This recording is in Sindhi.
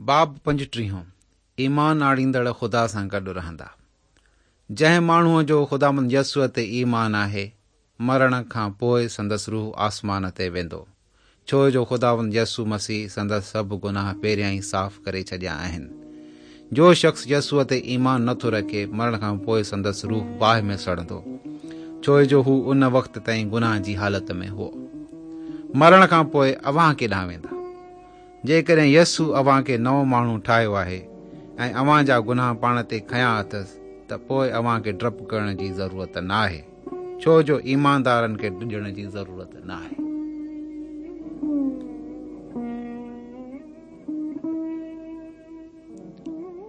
باب پنجٽيهون، ايمان آڻيندڙ خدا سان گڏ رهندا. جنهن ماڻهوء جو خداوند يسوع تي ايمان آهي، مرڻ کان پوء سندس روح آسمان تي ويندو، ڇو جو خداوند يسوع مسيح سندس سڀ گناهه پهريان ئي صاف ڪري ڇڏيا آهن. جو شخص يسوع تي ايمان نه ٿو رکي، مرڻ کان پوء سندس روح باهه ۾ سڙندو، ڇو جو هو ان وقت تائين گناهه جي حالت ۾ هو. مرڻ کان پوء اوهان ڪيڏانهن ويندا؟ جيڪڏهن يسوع اوهان کي نئون ماڻهو ٺاهيو آهي ۽ اوهان جا گناهه پاڻ تي کنيا اٿس ته پوء اوهان کي ڊپ ڪرڻ جي ضرورت ناهي، ڇو جو ايماندارن کي ڊڄڻ جي ضرورت ناهي.